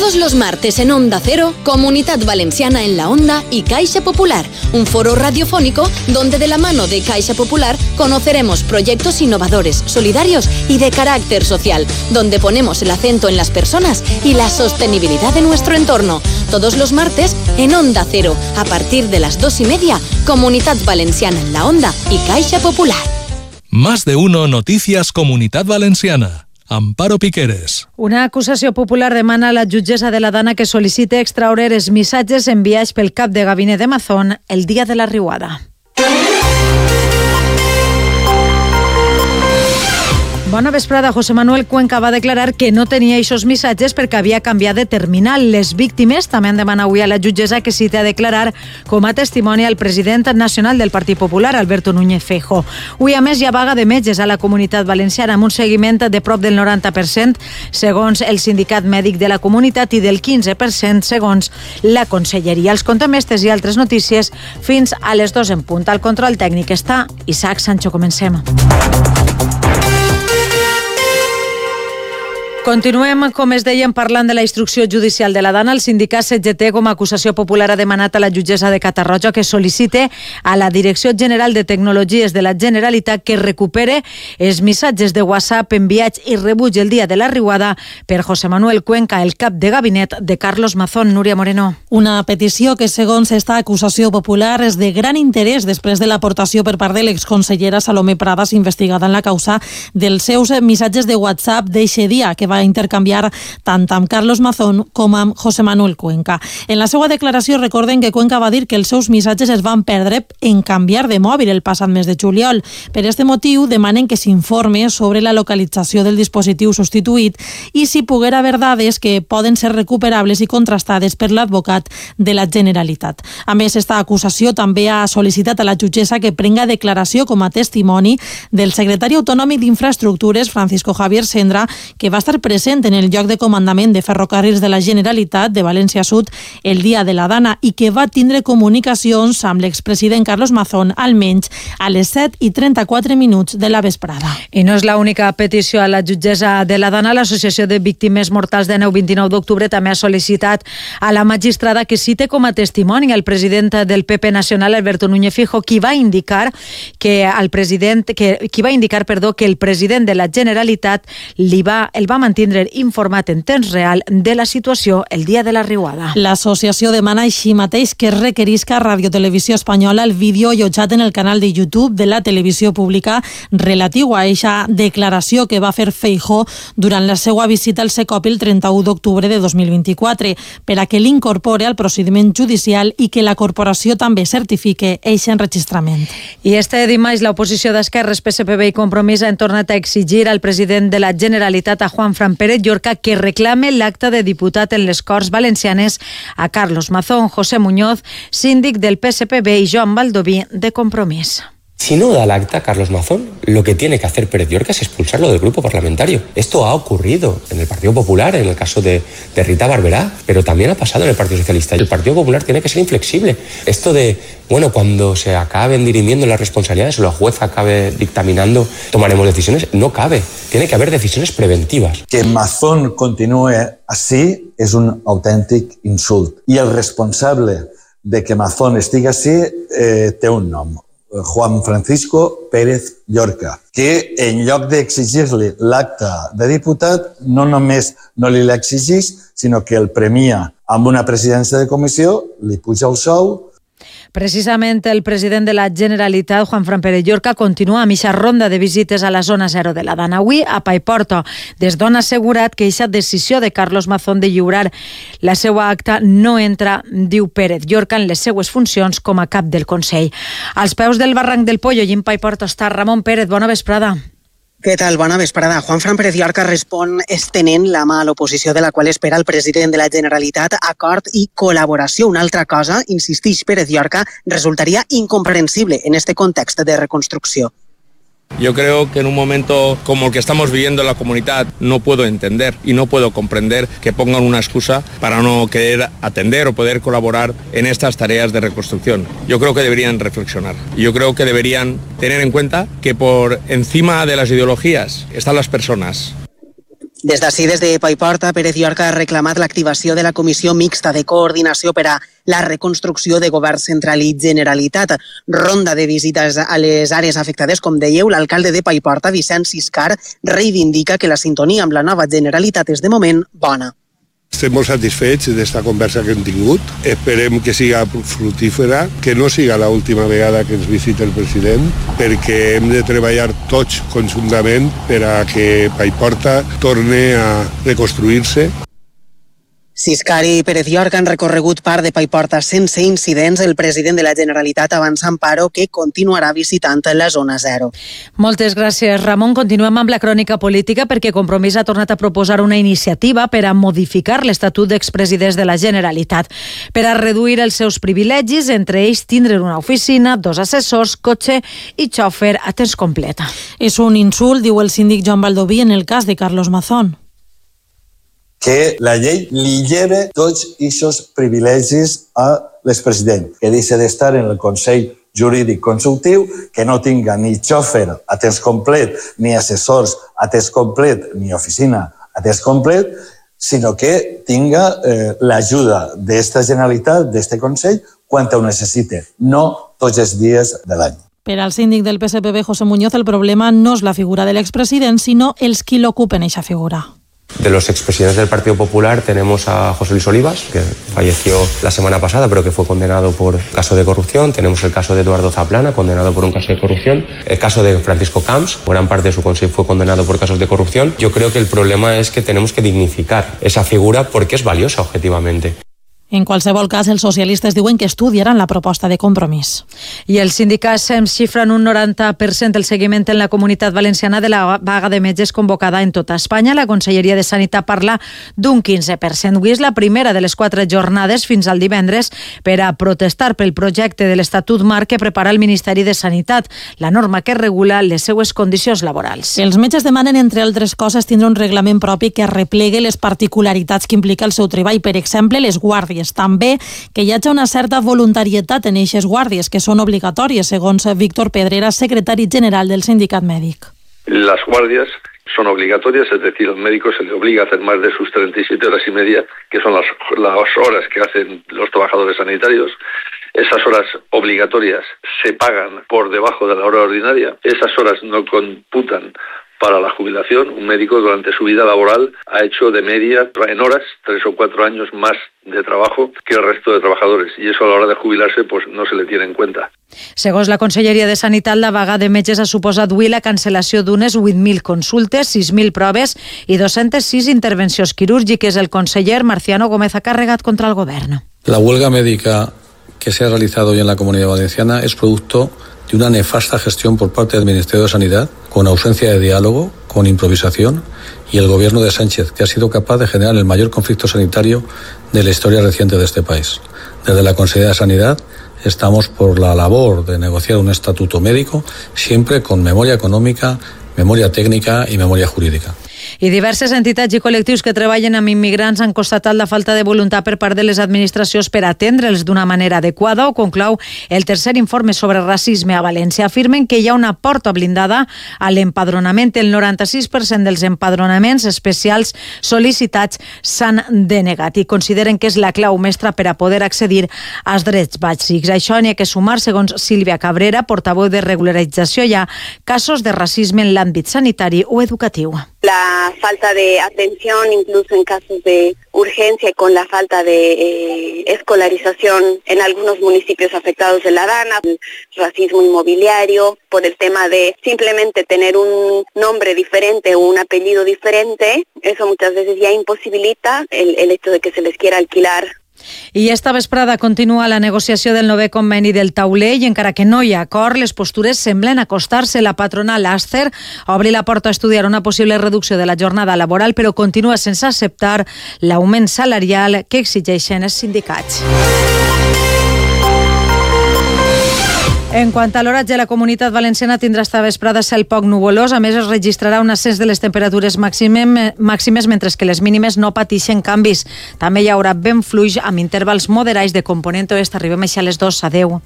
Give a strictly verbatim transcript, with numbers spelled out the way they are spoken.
Todos los martes en Onda Cero, Comunidad Valenciana en la Onda y Caixa Popular, un foro radiofónico donde de la mano de Caixa Popular conoceremos proyectos innovadores, solidarios y de carácter social, donde ponemos el acento en las personas y la sostenibilidad de nuestro entorno. Todos los martes en Onda Cero, a partir de las dos y media, Comunidad Valenciana en la Onda y Caixa Popular. Más de uno Noticias Comunitat Valenciana. Amparo Piqueres. Una acusació popular demana a la jutgessa de la Dana que sol·licite extraure els missatges enviats pel cap de gabinet de Mazón el dia de la riuada. Bona vesprada. José Manuel Cuenca va declarar que no tenia aquests missatges perquè havia canviat de terminal. Les víctimes també han demanat avui a la jutgessa que cite a declarar com a testimoni al president nacional del Partit Popular, Alberto Núñez Feijóo. Avui, a més, hi ha vaga de metges a la Comunitat Valenciana amb un seguiment de prop del noranta per cent segons el sindicat mèdic de la comunitat i del quinze per cent segons la conselleria. Els contem estes i altres notícies fins a les dos en punt. Al control tècnic està Isaac Sancho. Comencem. Continuem, com es deien, parlant de la instrucció judicial de la Dana. El sindicat C G T, com a acusació popular, ha demanat a la jutgessa de Catarroja que sol·licite a la Direcció General de Tecnologies de la Generalitat que recupere els missatges de WhatsApp enviats i rebuts el dia de la riuada per José Manuel Cuenca, el cap de gabinet de Carlos Mazón. Núria Moreno. Una petició que, segons esta acusació popular, és de gran interès després de l'aportació per part de l'exconsellera Salomé Pradas, investigada en la causa dels seus missatges de WhatsApp d'eixe dia, que va a intercanviar tant amb Carlos Mazón com amb José Manuel Cuenca. En la seva declaració recorden que Cuenca va dir que els seus missatges es van perdre en canviar de mòbil el passat mes de juliol. Per aquest motiu demanen que s'informe sobre la localització del dispositiu substituït i si poguera haver dades que poden ser recuperables i contrastades per l'advocat de la Generalitat. A més, esta acusació també ha sol·licitat a la jutgessa que prenga declaració com a testimoni del secretari autonòmic d'Infraestructures, Francisco Javier Sendra, que va estar present en el lloc de comandament de ferrocarrils de la Generalitat de València Sud el dia de la Dana i que va tindre comunicacions amb l'expresident Carlos Mazón almenys a les set i trenta-quatre minuts de la vesprada. I no és l'única petició a la jutgessa de la Dana. L'Associació de Víctimes Mortals de Neu vint-i-nou d'octubre també ha sol·licitat a la magistrada que cite com a testimoni el president del P P nacional, Alberto Núñez Feijóo, qui va indicar que el president que qui va indicar, perdó, que el president de la Generalitat li va el va mantenir informat en temps real de la situació el dia de la riuada. L'associació demana així mateix que es requerisca a Radio Televisió Espanyola el vídeo allotjat en el canal de YouTube de la televisió pública relatiu a eixa declaració que va fer Feijóo durant la seva visita al Secopi el trenta-u d'octubre de dos mil vint-i-quatre per a que l'incorpore al procediment judicial i que la corporació també certifique eixe enregistrament. I este dimarts l'oposició d'Esquerres, P S P B i Compromís han tornat a exigir al president de la Generalitat, a Juan Fran Pérez Llorca, que reclame l'acta de diputat en les Corts Valencianes a Carlos Mazón. José Muñoz, síndic del P S P B, y Joan Baldoví, de Compromís. Si no da el acta Carlos Mazón, lo que tiene que hacer Pérez Llorca es expulsarlo del grupo parlamentario. Esto ha ocurrido en el Partido Popular, en el caso de, de Rita Barberá, pero también ha pasado en el Partido Socialista. El Partido Popular tiene que ser inflexible. Esto de, bueno, cuando se acaben dirimiendo las responsabilidades o la jueza acabe dictaminando, tomaremos decisiones, no cabe. Tiene que haber decisiones preventivas. Que Mazón continúe así es un auténtic insult. I el responsable de que Mazón estigui així eh, té un nom. Juan Francisco Pérez Llorca, que en lloc d'exigir-li l'acta de diputat, no només no li l'exigeix, sinó que el premia amb una presidència de comissió, li puja el sou. Precisament el president de la Generalitat, Juan Fran Pérez Llorca, continua amb aquesta ronda de visites a la zona zero de la Dana. Avui, a Paiporta, des d'on ha assegurat que aquesta decisió de Carlos Mazón de lliurar la seva acta no entra, diu Pérez Llorca, en les seues funcions com a cap del Consell. Als peus del barranc del Pollo i en Paiporta està Ramon Pérez. Bona vesprada. Què tal? Bona vesprada. Juan Fran Pérez Llorca respon estenent la mà a l'oposició de la qual espera el president de la Generalitat acord i col·laboració. Una altra cosa, insisteix Pérez Llorca, resultaria incomprensible en este context de reconstrucció. Yo creo que en un momento como el que estamos viviendo en la comunidad no puedo entender y no puedo comprender que pongan una excusa para no querer atender o poder colaborar en estas tareas de reconstrucción. Yo creo que deberían reflexionar. Yo creo que deberían tener en cuenta que por encima de las ideologías están las personas. Des d'ací, des de Paiporta, Pérez Llorca ha reclamat l'activació de la Comissió Mixta de Coordinació per a la reconstrucció de Govern Central i Generalitat. Ronda de visites a les àrees afectades, com dèieu, l'alcalde de Paiporta, Vicent Siscar, reivindica que la sintonia amb la nova Generalitat és de moment bona. Estem molt satisfets d'esta conversa que hem tingut. Esperem que siga fructífera, que no siga l'última vegada que ens visita el president, perquè hem de treballar tots conjuntament per a que Paiporta torni a reconstruir-se. Siscar i Pérez Llorca han recorregut part de Paiporta sense incidents. El president de la Generalitat avança en Amparo, que continuarà visitant la zona zero. Moltes gràcies, Ramon. Continuem amb la crònica política perquè Compromís ha tornat a proposar una iniciativa per a modificar l'Estatut d'expresidents de la Generalitat, per a reduir els seus privilegis, entre ells tindre una oficina, dos assessors, cotxe i xòfer a temps complet. És un insult, diu el síndic Joan Baldoví, en el cas de Carlos Mazón. Que la llei li lleve tots aquests privilegis a l'expresident, que deixa d'estar en el Consell Jurídic Consultiu, que no tinga ni xòfer a temps complet, ni assessors a temps complet, ni oficina a temps complet, sinó que tinga eh, l'ajuda d'esta Generalitat, d'este Consell, quan ho necessite, no tots els dies de l'any. Per al síndic del P S P B, José Muñoz, el problema no és la figura de l'expresident, sinó els qui l'ocupen eixa figura. De los expresidentes del Partido Popular tenemos a José Luis Olivas, que falleció la semana pasada, pero que fue condenado por caso de corrupción. Tenemos el caso de Eduardo Zaplana, condenado por un caso de corrupción. El caso de Francisco Camps, gran parte de su consejo fue condenado por casos de corrupción. Yo creo que el problema es que tenemos que dignificar esa figura porque es valiosa objetivamente. En qualsevol cas, els socialistes diuen que estudiaran la proposta de Compromís. I els sindicats xifren un noranta per cent del seguiment en la Comunitat Valenciana de la vaga de metges convocada en tota Espanya. La Conselleria de Sanitat parla d'un quinze per cent. Avui és la primera de les quatre jornades fins al divendres per a protestar pel projecte de l'Estatut Marc que prepara el Ministeri de Sanitat, la norma que regula les seues condicions laborals. Els metges demanen, entre altres coses, tindre un reglament propi que arreplegui les particularitats que implica el seu treball, per exemple, les guàrdies. També que hi hagi una certa voluntarietat en eixes guàrdies, que són obligatòries, segons Víctor Pedrera, secretari general del sindicat mèdic. Las guardias son obligatorias, es decir, al médico se le obliga a hacer más de sus treinta y siete horas y media, que son las, las horas que hacen los trabajadores sanitarios. Esas horas obligatorias se pagan por debajo de la hora ordinaria. Esas horas no computan para la jubilación. Un médico durante su vida laboral ha hecho de media en horas tres o cuatro años más de trabajo que el resto de trabajadores, y eso a la hora de jubilarse pues no se le tiene en cuenta. Segons la Conselleria de Sanitat, la vaga de metges ha suposat avui la cancel·lació d'unes vuit mil consultes, sis mil proves i dos-centes sis intervencions quirúrgiques. El conseller Marciano Gómez ha carregat contra el govern. La huelga médica que se ha realizado hoy en la Comunidad Valenciana es producto de una nefasta gestión por parte del Ministerio de Sanidad, con ausencia de diálogo, con improvisación, y el gobierno de Sánchez, que ha sido capaz de generar el mayor conflicto sanitario de la historia reciente de este país. Desde la Consejería de Sanidad estamos por la labor de negociar un estatuto médico, siempre con memoria econòmica, memoria tècnica i memòria jurídica. I diverses entitats i col·lectius que treballen amb immigrants han constatat la falta de voluntat per part de les administracions per atendre'ls d'una manera adequada. Ho conclou el tercer informe sobre racisme a València. Afirmen que hi ha una porta blindada a l'empadronament. El noranta-sis per cent dels empadronaments especials sol·licitats s'han denegat i consideren que és la clau mestra per a poder accedir als drets bàsics. A això n'hi ha que sumar, segons Sílvia Cabrera, portaveu de regularització, hi ha casos de racisme en l'àmbit sanitari o educatiu. La falta de atención, incluso en casos de urgencia, y con la falta de eh, escolarización en algunos municipios afectados de la Dana, el racismo inmobiliario, por el tema de simplemente tener un nombre diferente o un apellido diferente, eso muchas veces ya imposibilita el, el hecho de que se les quiera alquilar. I esta vesprada continua la negociació del novè conveni del tauler i encara que no hi ha acord, les postures semblen acostar-se. La patronal Aster obri la porta a estudiar una possible reducció de la jornada laboral, però continua sense acceptar l'augment salarial que exigeixen els sindicats. En quant a l'oratge, la Comunitat Valenciana tindrà esta vesprada cel poc nuvolós. A més, es registrarà un ascens de les temperatures màximes, mentre que les mínimes no pateixen canvis. També hi haurà vent fluix amb intervals moderats de component oest. Arribem així a les dues. Adéu.